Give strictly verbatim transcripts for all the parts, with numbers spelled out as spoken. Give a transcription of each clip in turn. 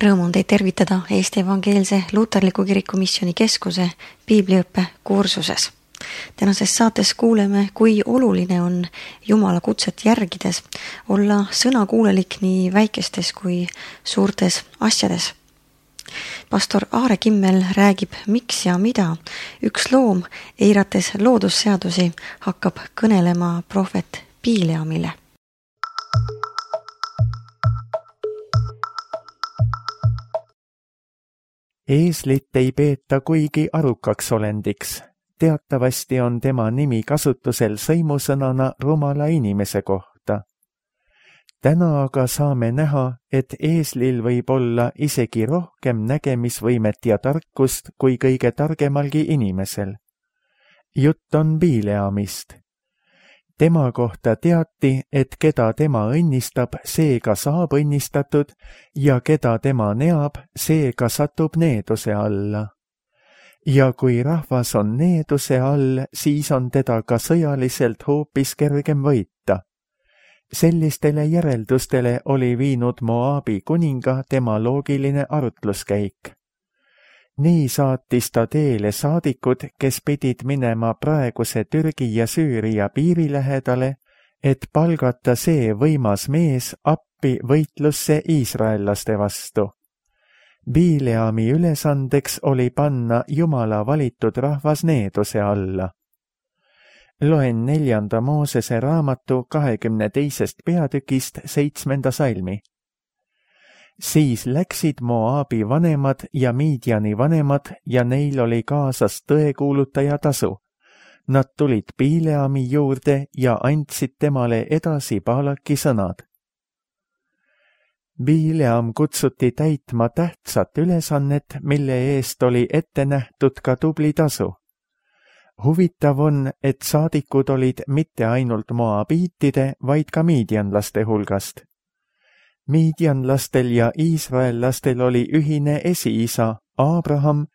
Rõõm on teid tervitada Eesti Evangeelse Luterliku Kiriku Missiooni Keskuse piibliõppe kursuses. Tänases saates kuuleme, kui oluline on Jumala kutset järgides olla sõnakuulelik nii väikestes kui suurtes asjades. Pastor Aare Kimmel räägib, miks ja mida üks loom, eirates loodusseadusi, hakkab kõnelema prohvet Bileamile. Eeslit ei peeta kuigi arukaks olendiks. Teatavasti on tema nimi kasutusel sõimusõnana rumala inimese kohta. Täna aga saame näha, et eeslil võib olla isegi rohkem nägemisvõimet ja tarkust kui kõige targemalgi inimesel. Jutt on Bileamist. Tema kohta teati, et keda tema õnnistab, seega saab õnnistatud ja keda tema neab, seega satub needuse alla. Ja kui rahvas on needuse all, siis on teda ka sõjaliselt hoopis kergem võita. Sellistele järeldustele oli viinud Moabi kuninga tema loogiline arutluskäik. Nii saatis ta teele saadikud, kes pidid minema praeguse Türgi ja Süüria piiri lähedale, et palgata see võimas mees appi võitlusse iisraellaste vastu. Bileami ülesandeks oli panna Jumala valitud rahvas needuse alla. Loen neljanda Moosese raamatu kahekümne teisest peatükist seitsmenda salmi. Siis läksid Moabi vanemad ja Midiani vanemad ja neil oli kaasas tõekuulutaja tasu. Nad tulid Bileami juurde ja andsid temale edasi Baalaki sõnad. Bileam kutsuti täitma tähtsat ülesannet, mille eest oli ette nähtud ka tubli tasu. Huvitav on, et saadikud olid mitte ainult moabiitide, vaid ka midianlaste hulgast. Midianlastel ja iisraellastel oli ühine esiisa, Abraham,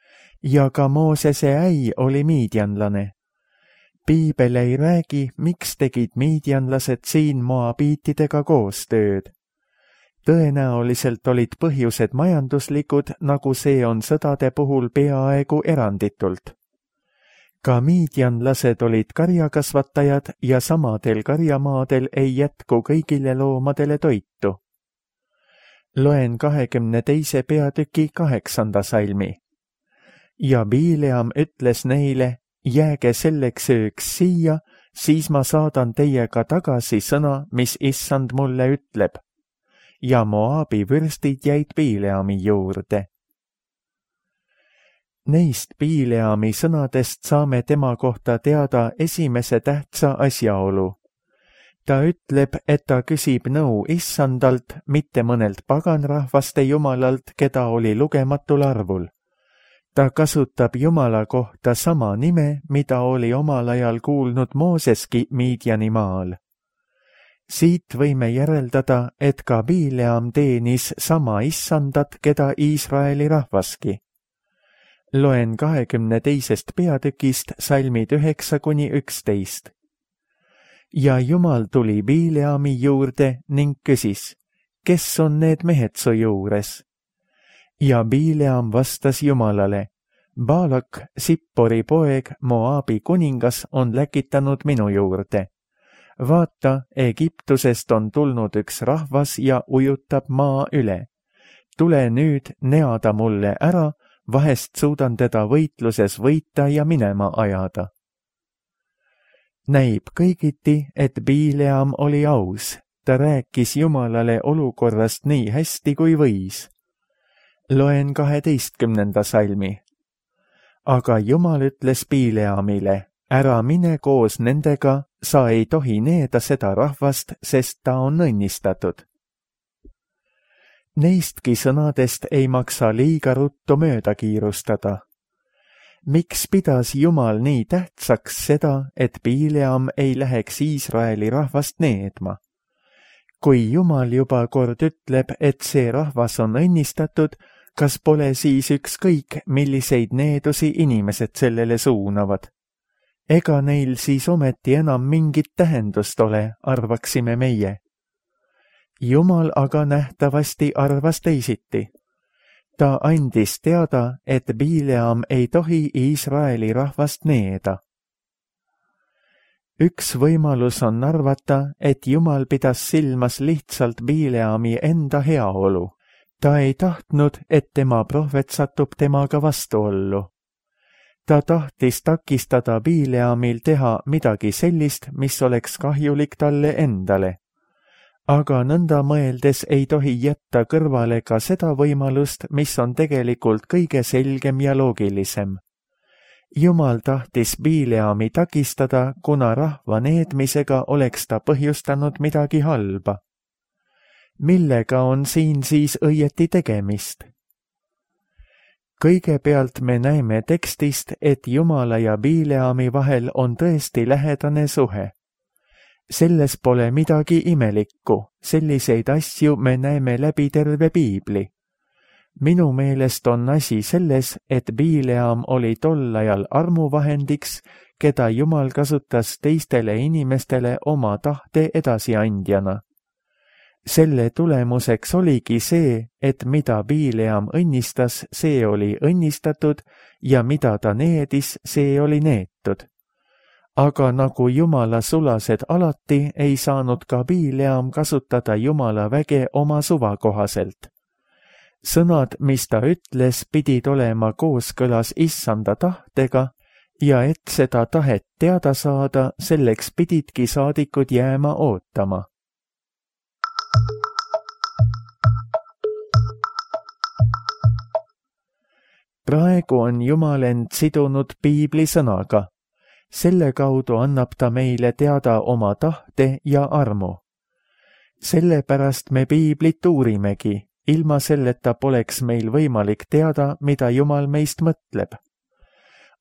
ja ka Moosese äi oli midianlane. Piibel ei räägi, miks tegid midianlased siin moabiitidega koostööd. Tõenäoliselt olid põhjused majanduslikud, nagu see on sõdade puhul peaaegu eranditult. Ka midianlased olid karjakasvatajad ja samadel karjamaadel ei jätku kõigile loomadele toitu. Loen kahekümne teise peatüki kaheksanda salmi. Ja Bileam ütles neile, jääge selleks ööks siia, siis ma saadan teiega tagasi sõna, mis issand mulle ütleb. Ja Moabi vürstid jäid Bileami juurde. Neist Bileami sõnadest saame tema kohta teada esimese tähtsa asjaolu. Ta ütleb, et ta küsib nõu issandalt, mitte mõnelt paganrahvaste jumalalt, keda oli lugematul arvul. Ta kasutab Jumala kohta sama nime, mida oli omal ajal kuulnud Mooseski Midiani maal. Siit võime järeldada, et ka Bileam teenis sama issandat, keda Iisraeli rahvaski. Loen kahekümne teisest peatükist salmid üheksa kuni üksteist. Ja Jumal tuli Bileami juurde ning küsis, kes on need mehed su juures? Ja Bileam vastas Jumalale, Baalak, Sippori poeg, Moabi kuningas, on läkitanud minu juurde. Vaata, Egiptusest on tulnud üks rahvas ja ujutab maa üle. Tule nüüd, nea ta mulle ära, vahest suudan teda võitluses võita ja minema ajada. Näib kõigiti, et Bileam oli aus. Ta rääkis Jumalale olukorrast nii hästi kui võis. Loen kaheteistkümnenda salmi. Aga Jumal ütles Bileamile, ära mine koos nendega, sa ei tohi needa seda rahvast, sest ta on õnnistatud. Neistki sõnadest ei maksa liiga ruttu mööda kiirustada. Miks pidas Jumal nii tähtsaks seda, et Bileam ei läheks Iisraeli rahvast needma? Kui Jumal juba kord ütleb, et see rahvas on õnnistatud, kas pole siis ükskõik, milliseid needusi inimesed sellele suunavad? Ega neil siis ometi enam mingit tähendust ole, arvaksime meie. Jumal aga nähtavasti arvas teisiti. Ta andis teada, et Bileam ei tohi Iisraeli rahvast needa. Üks võimalus on arvata, et Jumal pidas silmas lihtsalt Bileami enda heaolu. Ta ei tahtnud, et tema prohvet satub temaga vastuollu. Ta tahtis takistada Bileamil teha midagi sellist, mis oleks kahjulik talle endale. Aga nõnda mõeldes ei tohi jätta kõrvale ka seda võimalust, mis on tegelikult kõige selgem ja loogilisem. Jumal tahtis Bileami takistada, kuna rahva needmisega oleks ta põhjustanud midagi halba. Millega on siin siis õieti tegemist? Kõigepealt me näeme tekstist, et Jumala ja Bileami vahel on tõesti lähedane suhe. Selles pole midagi imelikku, selliseid asju me näeme läbi terve piibli. Minu meelest on asi selles, et Bileam oli tol ajal armuvahendiks, keda Jumal kasutas teistele inimestele oma tahte edasiandjana. Selle tulemuseks oligi see, et mida Bileam õnnistas, see oli õnnistatud ja mida ta needis, see oli neetud. Aga nagu Jumala sulased alati, ei saanud ka Bileam kasutada Jumala väge oma suva kohaselt. Sõnad, mis ta ütles, pidid olema kooskõlas issanda tahtega ja et seda tahet teada saada, selleks pididki saadikud jääma ootama. Praegu on Jumal end sidunud piibli sõnaga. Selle kaudu annab ta meile teada oma tahte ja armu. Sellepärast me piiblit uurimegi. Ilma selleta poleks meil võimalik teada, mida Jumal meist mõtleb.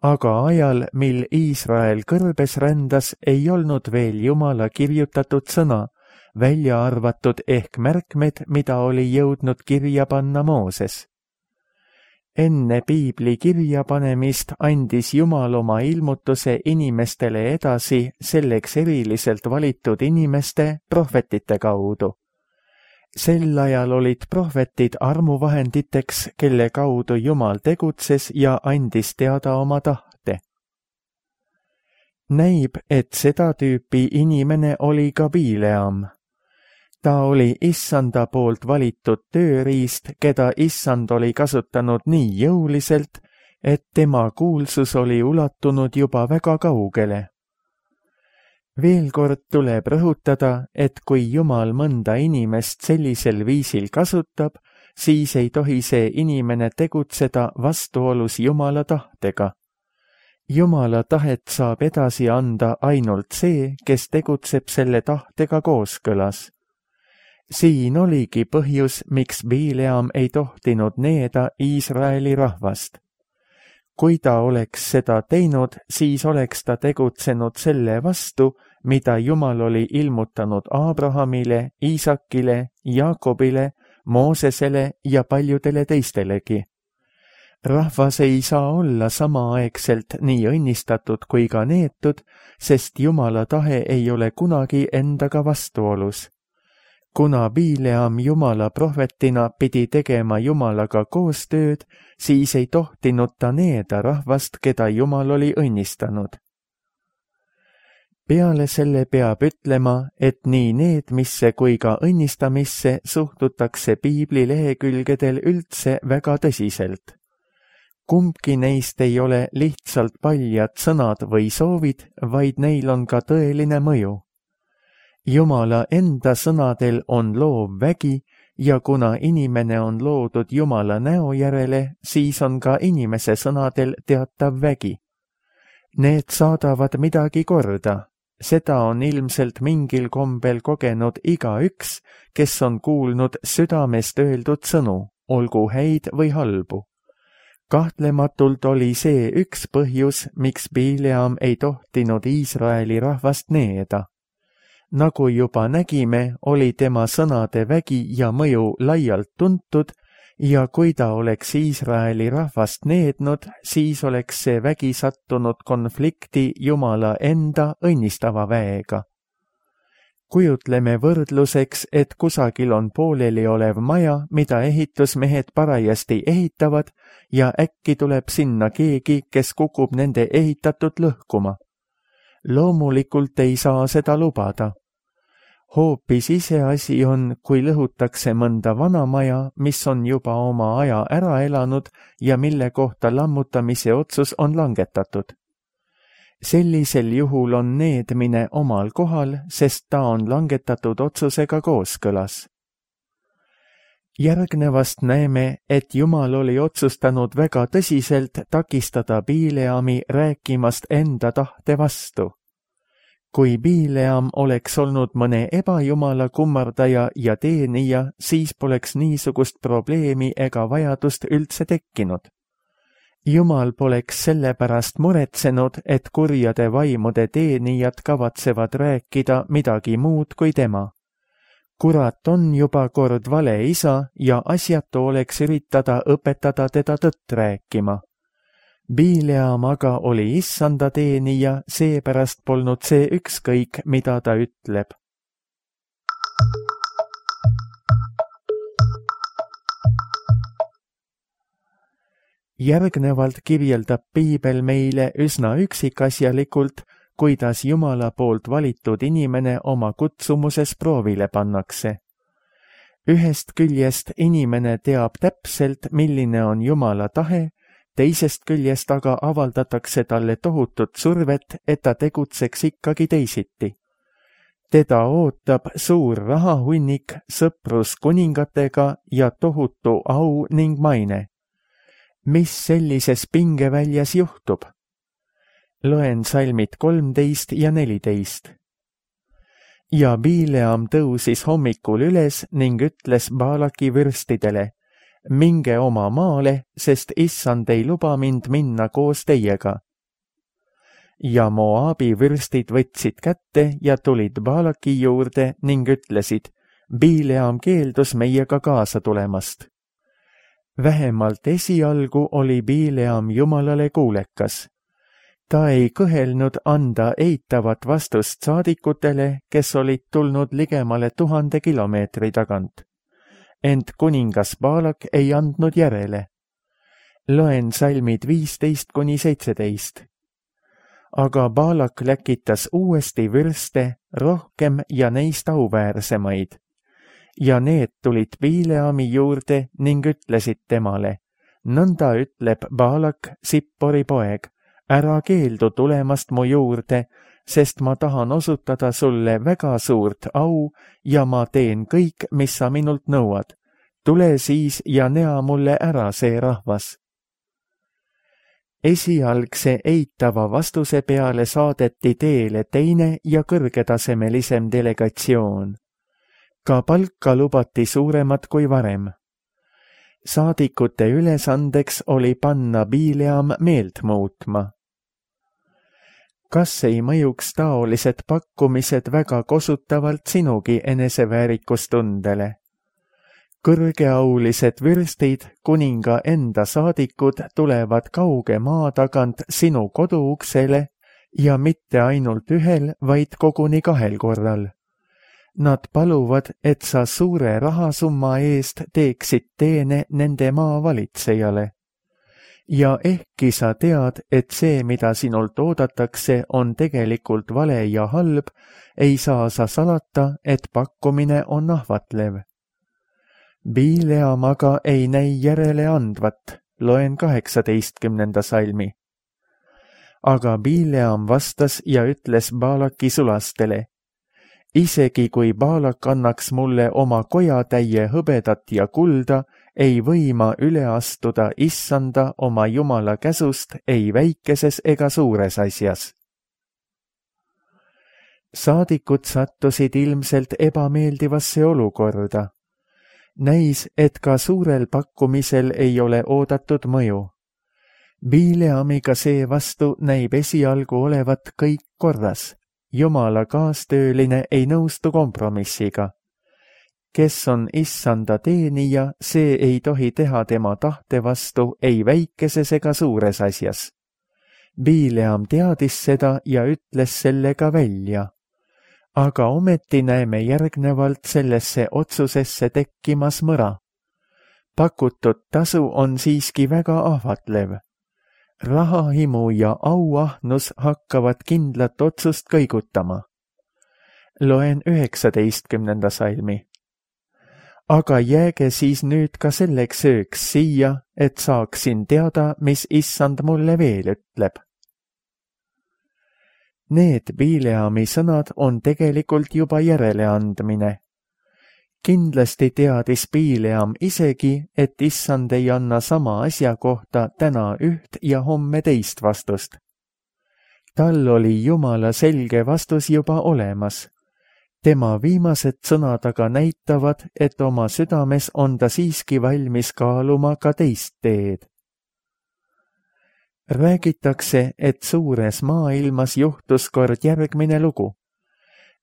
Aga ajal, mil Iisrael kõrbes rändas, ei olnud veel Jumala kirjutatud sõna, välja arvatud ehk märkmed, mida oli jõudnud kirja panna Mooses. Enne piibli kirjapanemist andis Jumal oma ilmutuse inimestele edasi selleks eriliselt valitud inimeste, prohvetite kaudu. Sel ajal olid prohvetid armuvahenditeks, kelle kaudu Jumal tegutses ja andis teada oma tahte. Näib, et seda tüüpi inimene oli ka Bileam. Ta oli issanda poolt valitud tööriist, keda issand oli kasutanud nii jõuliselt, et tema kuulsus oli ulatunud juba väga kaugele. Veel kord tuleb rõhutada, et kui Jumal mõnda inimest sellisel viisil kasutab, siis ei tohi see inimene tegutseda vastuolus Jumala tahtega. Jumala tahet saab edasi anda ainult see, kes tegutseb selle tahtega kooskõlas. Siin oligi põhjus, miks Bileam ei tohtinud needa Iisraeli rahvast. Kui ta oleks seda teinud, siis oleks ta tegutsenud selle vastu, mida Jumal oli ilmutanud Abrahamile, Iisakile, Jaakobile, Moosesele ja paljudele teistelegi. Rahvas ei saa olla samaaegselt nii õnnistatud kui ka neetud, sest Jumala tahe ei ole kunagi endaga vastuolus. Kuna Bileam Jumala prohvetina pidi tegema Jumalaga koostööd, siis ei tohtinud ta needa rahvast, keda Jumal oli õnnistanud. Peale selle peab ütlema, et nii needmisse kui ka õnnistamisse suhtutakse piibli lehekülgedel üldse väga tõsiselt. Kumbki neist ei ole lihtsalt paljad sõnad või soovid, vaid neil on ka tõeline mõju. Jumala enda sõnadel on loov vägi ja kuna inimene on loodud Jumala näo järele, siis on ka inimese sõnadel teatav vägi. Need saadavad midagi korda. Seda on ilmselt mingil kombel kogenud igaüks, kes on kuulnud südamest öeldud sõnu, olgu häid või halbu. Kahtlematult oli see üks põhjus, miks Bileam ei tohtinud Iisraeli rahvast needa. Nagu juba nägime, oli tema sõnade vägi ja mõju laialt tuntud ja kui ta oleks Iisraeli rahvast neednud, siis oleks see vägi sattunud konflikti Jumala enda õnnistava väega. kujutleme võrdluseks, et kusagil on pooleli olev maja, mida ehitusmehed parajasti ehitavad ja äkki tuleb sinna keegi, kes kukub nende ehitatud lõhkuma. Loomulikult ei saa seda lubada. Hoopis iseasi on, kui lõhutakse mõnda vana maja, mis on juba oma aja ära elanud ja mille kohta lammutamise otsus on langetatud. Sellisel juhul on needmine omal kohal, sest ta on langetatud otsusega kooskõlas. Järgnevast näeme, et Jumal oli otsustanud väga tõsiselt takistada Bileami rääkimast enda tahte vastu. Kui Bileam oleks olnud mõne ebajumala kummardaja ja teenija, siis poleks niisugust probleemi ega vajadust üldse tekkinud. Jumal poleks sellepärast muretsenud, et kurjade vaimude teenijad kavatsevad rääkida midagi muud kui tema. Kurat on juba kord vale isa ja asjatu oleks üritada õpetada teda tõtt rääkima. Bileam aga oli issanda teenija, seepärast polnud see ükskõik, mida ta ütleb. Järgnevalt kirjeldab Piibel meile üsna üksikasjalikult, kuidas Jumala poolt valitud inimene oma kutsumuses proovile pannakse. Ühest küljest inimene teab täpselt, milline on Jumala tahe, teisest küljest aga avaldatakse talle tohutut survet, et ta tegutseks ikkagi teisiti. Teda ootab suur rahahunnik, sõprus kuningatega ja tohutu au ning maine. Mis sellises pingeväljas juhtub? Loen salmid kolmteist ja neliteist. Ja Bileam tõusis hommikul üles ning ütles Baalaki vürstidele, minge oma maale, sest issand ei luba mind minna koos teiega. Ja Moabi vürstid võtsid kätte ja tulid Baalaki juurde ning ütlesid, Bileam keeldus meiega kaasa tulemast. Vähemalt esialgu oli Bileam Jumalale kuulekas. Ta ei kõhelnud anda eitavat vastust saadikutele, kes olid tulnud ligemale tuhande kilomeetri tagant. Ent kuningas Baalak ei andnud järele. Loen salmid viisteist kuni seitseteist. Aga Baalak läkitas uuesti vürste, rohkem ja neist auväärsemaid. Ja need tulid Bileami juurde ning ütlesid temale, nõnda ütleb Baalak, Sippori poeg, ära keeldu tulemast mu juurde, sest ma tahan osutada sulle väga suurt au ja ma teen kõik, mis sa minult nõuad. Tule siis ja nea mulle ära see rahvas. Esialgse eitava vastuse peale saadeti teele teine ja kõrgetasemelisem delegatsioon. Ka palka lubati suuremat kui varem. Saadikute ülesandeks oli panna Bileam meelt muutma. Kas ei mõjuks taolised pakkumised väga kosutavalt sinugi eneseväärikustundele? Kõrgeaulised vürstid, kuninga enda saadikud tulevad kauge maa tagant sinu koduuksele ja mitte ainult ühel, vaid koguni kahel korral. Nad paluvad, et sa suure rahasumma eest teeksid teene nende maa valitsejale. Ja ehkki sa tead, et see, mida sinult oodatakse, on tegelikult vale ja halb, ei saa sa salata, et pakkumine on ahvatlev. Bileam aga ei näi järele andvat, loen kaheksateistkümnenda salmi. Aga Bileam vastas ja ütles Baalaki sulastele, isegi kui Baalak annaks mulle oma kojatäie hõbedat ja kulda, ei või ma üle astuda issanda oma Jumala käsust ei väikeses ega suures asjas. Saadikud sattusid ilmselt ebameeldivasse olukorda. Näis, et ka suurel pakkumisel ei ole oodatud mõju. Bileamiga seevastu näib esialgu olevat kõik korras. Jumala kaastööline ei nõustu kompromissiga. Kes on issanda teenija, see ei tohi teha tema tahte vastu ei väikeses ega suures asjas. Bileam teadis seda ja ütles selle ka välja. aga ometi näeme järgnevalt sellesse otsusesse tekkimas mõra. Pakutud tasu on siiski väga ahvatlev. Rahahimu ja auahnus hakkavad kindlat otsust kõigutama. Loen üheksateistkümnenda salmi. Aga jääge siis nüüd ka selleks ööks siia, et saaksin teada, mis issand mulle veel ütleb. Need Bileami sõnad on tegelikult juba järeleandmine. Kindlasti teadis Bileam isegi, et issand ei anna sama asja kohta täna üht ja homme teist vastust. Tal oli Jumala selge vastus juba olemas. Tema viimased sõnad aga näitavad, et oma südames on ta siiski valmis kaaluma ka teist teed. Räägitakse, et suures maailmas juhtus kord järgmine lugu.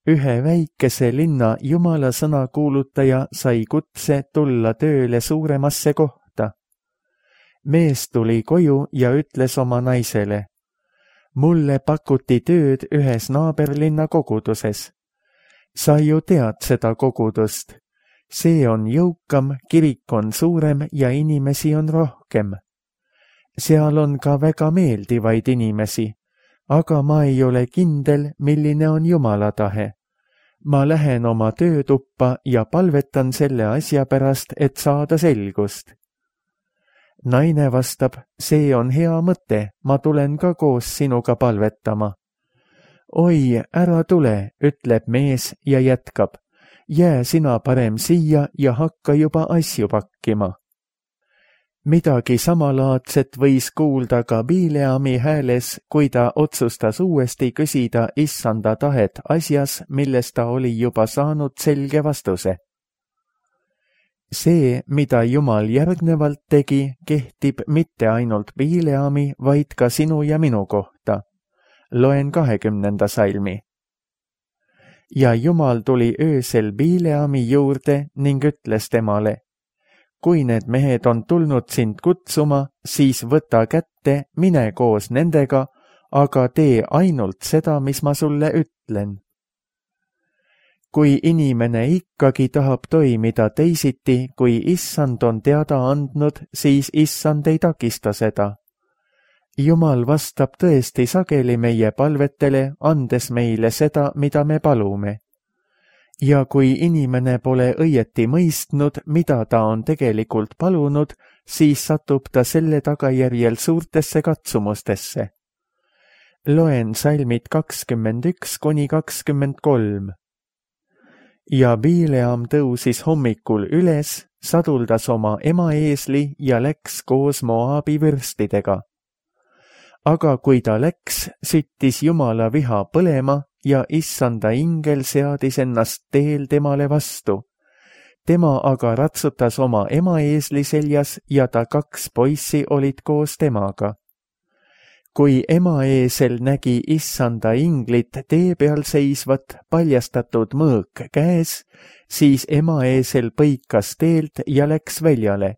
Ühe väikese linna Jumala sõna kuulutaja sai kutse tulla tööle suuremasse kohta. Mees tuli koju ja ütles oma naisele, mulle pakuti tööd ühes naaberlinna koguduses. Sa ju tead seda kogudust. See on jõukam, kirik on suurem ja inimesi on rohkem. Seal on ka väga meeldivaid inimesi, aga ma ei ole kindel, milline on Jumala tahe. Ma lähen oma töötuppa ja palvetan selle asja pärast, et saada selgust. Naine vastab, see on hea mõte, ma tulen ka koos sinuga palvetama. Oi, ära tule, ütleb mees ja jätkab. Jää sina parem siia ja hakka juba asju pakkima. Midagi samalaadset võis kuulda ka Bileami hääles, kui ta otsustas uuesti küsida issanda tahet asjas, milles ta oli juba saanud selge vastuse. See, mida Jumal järgnevalt tegi, kehtib mitte ainult Bileami, vaid ka sinu ja minu kohta. Loen kahekümnenda salmi. Ja Jumal tuli öösel Bileami juurde ning ütles temale, kui need mehed on tulnud sind kutsuma, siis võta kätte, mine koos nendega, aga tee ainult seda, mis ma sulle ütlen. Kui inimene ikkagi tahab toimida teisiti, kui issand on teada andnud, siis issand ei takista seda. Jumal vastab tõesti sageli meie palvetele, andes meile seda, mida me palume. Ja kui inimene pole õieti mõistnud, mida ta on tegelikult palunud, siis satub ta selle tagajärjel suurtesse katsumustesse. Loen salmid kakskümmend üks kuni kakskümmend kolm. Ja Bileam tõusis hommikul üles, saduldas oma ema eesli ja läks koos Moabi vürstidega. Aga kui ta läks, süttis Jumala viha põlema ja issanda ingel seadis ennast teel temale vastu. Tema aga ratsutas oma ema eesli seljas ja ta kaks poissi olid koos temaga. Kui ema eesel nägi issanda inglit tee peal seisvat paljastatud mõõk käes, siis ema eesel põikas teelt ja läks väljale.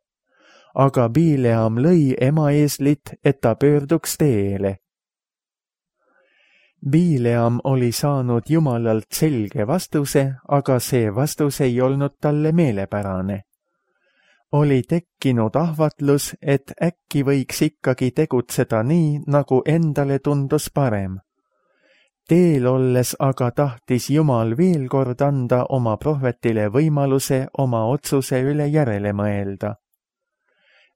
Aga Bileam lõi ema eeslit, et ta pöörduks teele. Bileam oli saanud Jumalalt selge vastuse, aga see vastus ei olnud talle meelepärane. Oli tekkinud ahvatlus, et äkki võiks ikkagi tegutseda nii, nagu endale tundus parem. Teel olles aga tahtis Jumal veel kord anda oma prohvetile võimaluse oma otsuse üle järele mõelda.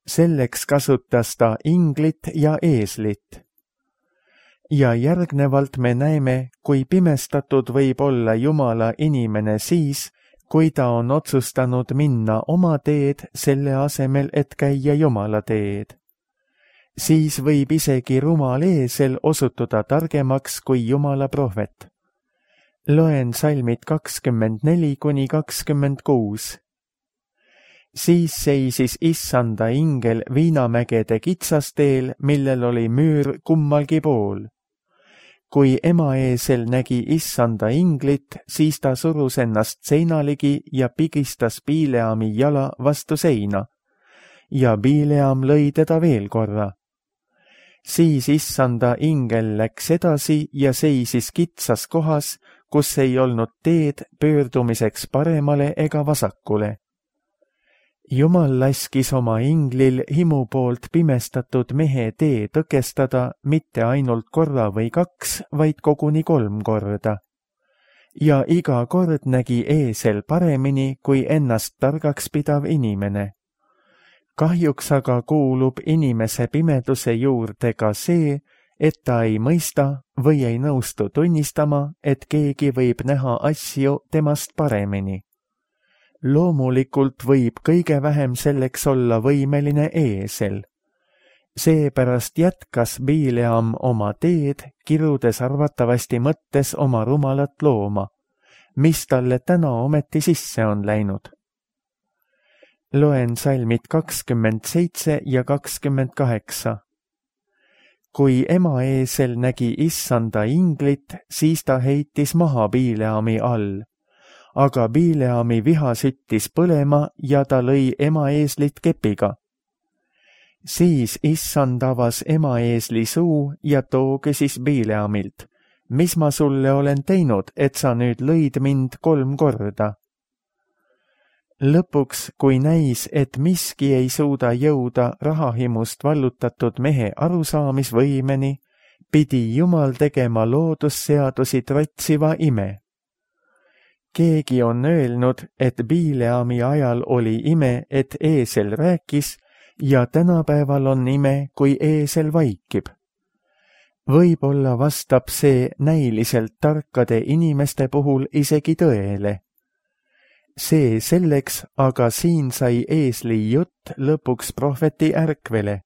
Selleks kasutas ta inglit ja eeslit. Ja järgnevalt me näeme, kui pimestatud võib olla Jumala inimene siis, kui ta on otsustanud minna oma teed selle asemel, et käia Jumala teed. Siis võib isegi rumal eesel osutuda targemaks kui Jumala prohvet. Loen salmid kakskümmend neli kuni kakskümmend kuus. Siis seisis issanda ingel Viinamägede kitsasteel, millel oli müür kummalgi pool. Kui ema eesel nägi issanda inglit, siis ta surus ennast seina ligi ja pigistas Bileami jala vastu seina. Ja Bileam lõi teda veel korra. Siis issanda ingel läks edasi ja seisis kitsas kohas, kus ei olnud teed pöördumiseks paremale ega vasakule. Jumal laskis oma inglil himu poolt pimestatud mehe tee tõkestada mitte ainult korra või kaks, vaid koguni kolm korda. Ja iga kord nägi eesel paremini kui ennast targaks pidav inimene. Kahjuks aga kuulub inimese pimeduse juurde ka see, et ta ei mõista või ei nõustu tunnistama, et keegi võib näha asju temast paremini. Loomulikult võib kõige vähem selleks olla võimeline eesel. Seepärast jätkas Bileam oma teed, kirudes arvatavasti mõttes oma rumalat looma, mis talle täna ometi sisse on läinud. Loen salmid kakskümmend seitse ja kakskümmend kaheksa. Kui ema eesel nägi issanda inglit, siis ta heitis maha Bileami all. Aga Bileami viha süttis põlema ja ta lõi ema eeslit kepiga. Siis issand avas ema eesli suu ja too küsis Bileamilt, mis ma sulle olen teinud, et sa nüüd lõid mind kolm korda? Lõpuks, kui näis, et miski ei suuda jõuda rahahimust vallutatud mehe arusaamisvõimeni, pidi Jumal tegema loodusseadusi trotsiva ime. Keegi on öelnud, et Bileami ajal oli ime, et eesel rääkis, ja tänapäeval on ime, kui eesel vaikib. Võib-olla vastab see näiliselt tarkade inimeste puhul isegi tõele. See selleks, aga siin sai eesli jutt lõpuks prohveti ärkvele.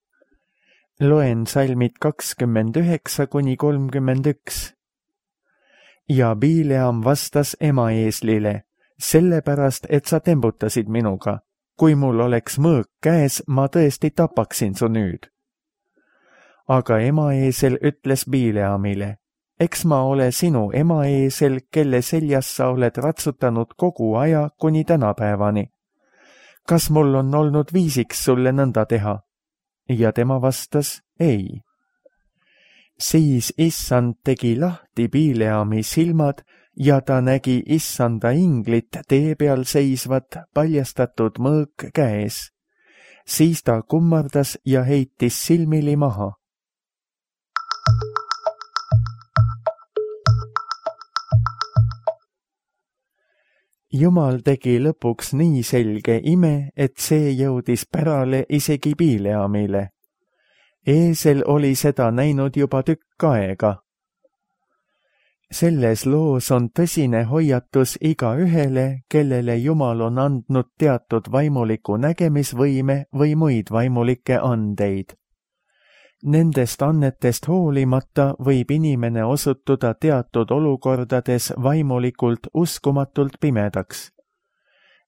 Loen salmid kakskümmend üheksa kuni kolmkümmend üks. Ja Bileam vastas ema eeslile, sellepärast, et sa tembutasid minuga. Kui mul oleks mõõk käes, ma tõesti tapaksin su nüüd. Aga ema eesel ütles Bileamile, eks ma ole sinu ema eesel, kelle seljas sa oled ratsutanud kogu aja kuni tänapäevani. Kas mul on olnud viisiks sulle nõnda teha? Ja tema vastas, ei. Siis issand tegi lahti Bileami silmad ja ta nägi issanda inglit tee peal seisvat paljastatud mõõk käes. Siis ta kummardas ja heitis silmili maha. Jumal tegi lõpuks nii selge ime, et see jõudis pärale isegi Bileamile. Eesel oli seda näinud juba tükk aega. Selles loos on tõsine hoiatus igaühele, kellele Jumal on andnud teatud vaimuliku nägemisvõime või muid vaimulikke andeid. Nendest annetest hoolimata võib inimene osutuda teatud olukordades vaimulikult uskumatult pimedaks.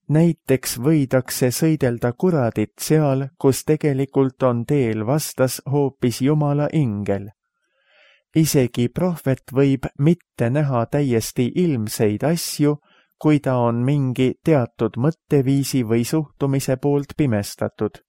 Näiteks võidakse sõidelda kuradit seal, kus tegelikult on teel vastas hoopis Jumala ingel. Isegi prohvet võib mitte näha täiesti ilmseid asju, kui ta on mingi teatud mõtteviisi või suhtumise poolt pimestatud.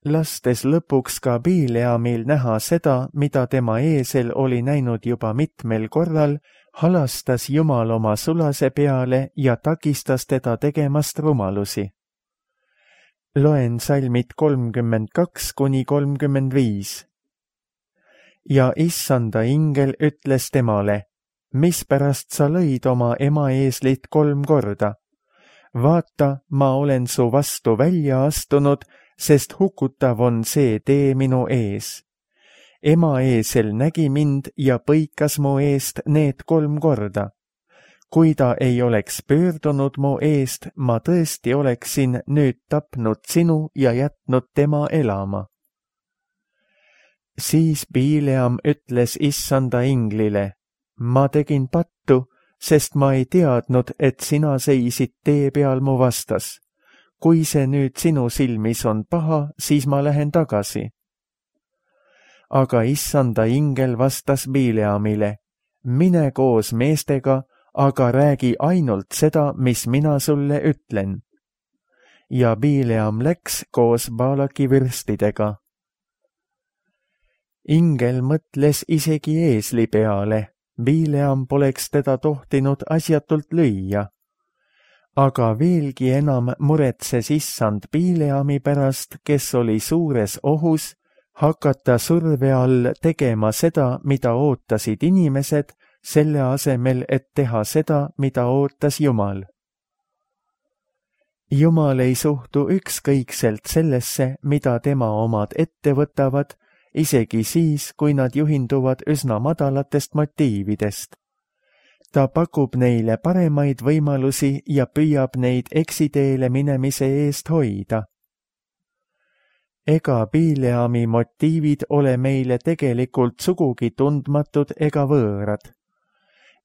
Lastes lõpuks ka Bileamil näha seda, mida tema eesel oli näinud juba mitmel korral, halastas Jumal oma sulase peale ja takistas teda tegemast rumalusi. Loen salmid kolmkümmend kaks kuni kolmkümmend viis. Ja issanda ingel ütles temale, mispärast sa lõid oma ema eeslit kolm korda? Vaata, ma olen su vastu välja astunud, sest hukutav on see tee minu ees. Ema eesel nägi mind ja põikas mu eest need kolm korda. Kui ta ei oleks pöördunud mu eest, ma tõesti oleksin nüüd tapnud sinu ja jätnud tema elama. Siis Bileam ütles issanda inglile, ma tegin pattu, sest ma ei teadnud, et sina seisid tee peal mu vastas. Kui see nüüd sinu silmis on paha, siis ma lähen tagasi. Aga issanda ingel vastas Bileamile, mine koos meestega, aga räägi ainult seda, mis mina sulle ütlen. Ja Bileam läks koos Baalaki vürstidega. Ingel mõtles isegi eesli peale, Bileam poleks teda tohtinud asjatult lüüa. Aga veelgi enam muretses issand Bileami pärast, kes oli suures ohus, hakata surve all tegema seda, mida ootasid inimesed, selle asemel, et teha seda, mida ootas Jumal. Jumal ei suhtu ükskõikselt sellesse, mida tema omad ette võtavad, isegi siis, kui nad juhinduvad üsna madalatest motiividest. Ta pakub neile paremaid võimalusi ja püüab neid eksiteele minemise eest hoida. Ega Bileami motiivid ole meile tegelikult sugugi tundmatud ega võõrad,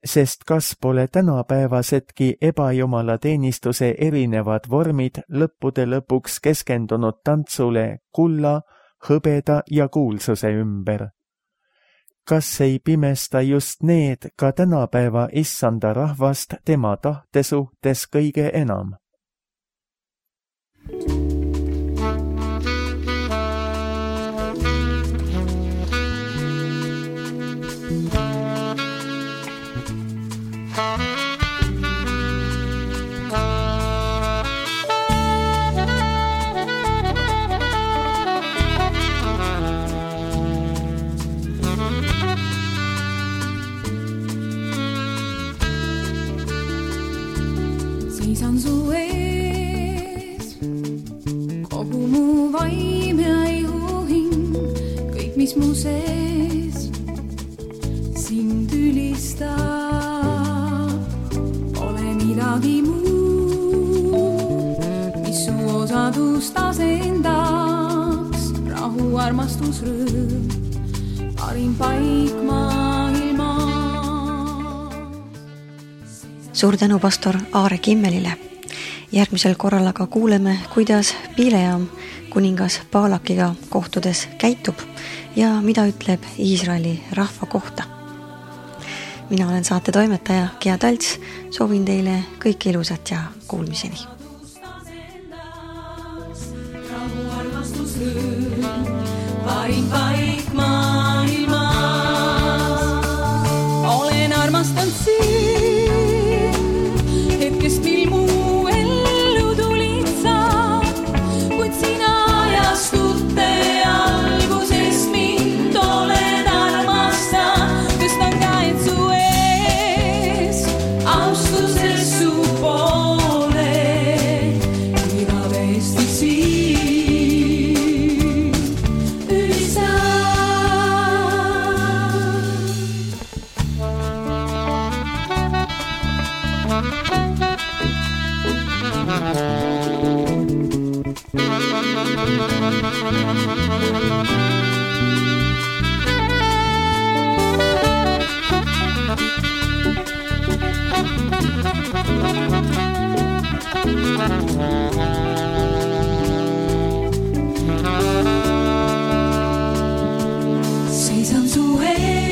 sest kas pole tänapäevasedki ebajumala teenistuse erinevad vormid lõppude lõpuks keskendunud tantsule kulla, hõbeda ja kuulsuse ümber. Kas ei pimesta just need ka tänapäeva issanda rahvast tema tahte suhtes kõige enam? Seisan su ees, kogu mu vaim ja ihuhing, kõik mis mu sees sind ülistab, pole midagi muud, mis su osadust asendaks, rahu, armastus, rõõm, parim paik maailma. Suur tänu pastor Aare Kimmelile. Järgmisel korral aga kuuleme, kuidas Bileam kuningas Baalakiga kohtudes käitub ja mida ütleb Iisraeli rahva kohta. Mina olen saate toimetaja Gea Talts, soovin teile kõike ilusat ja kuulmiseni. Rahu, armastus, rõõm, parim paik maailmas. Olen armastanud sind, hetkest mil mu ellu tulid sa, kuid sina ajastute algusest mind oled armastanud. Tõstan käed su ees, austuses su poole, igavesti siin ülistan. Seisan su ees.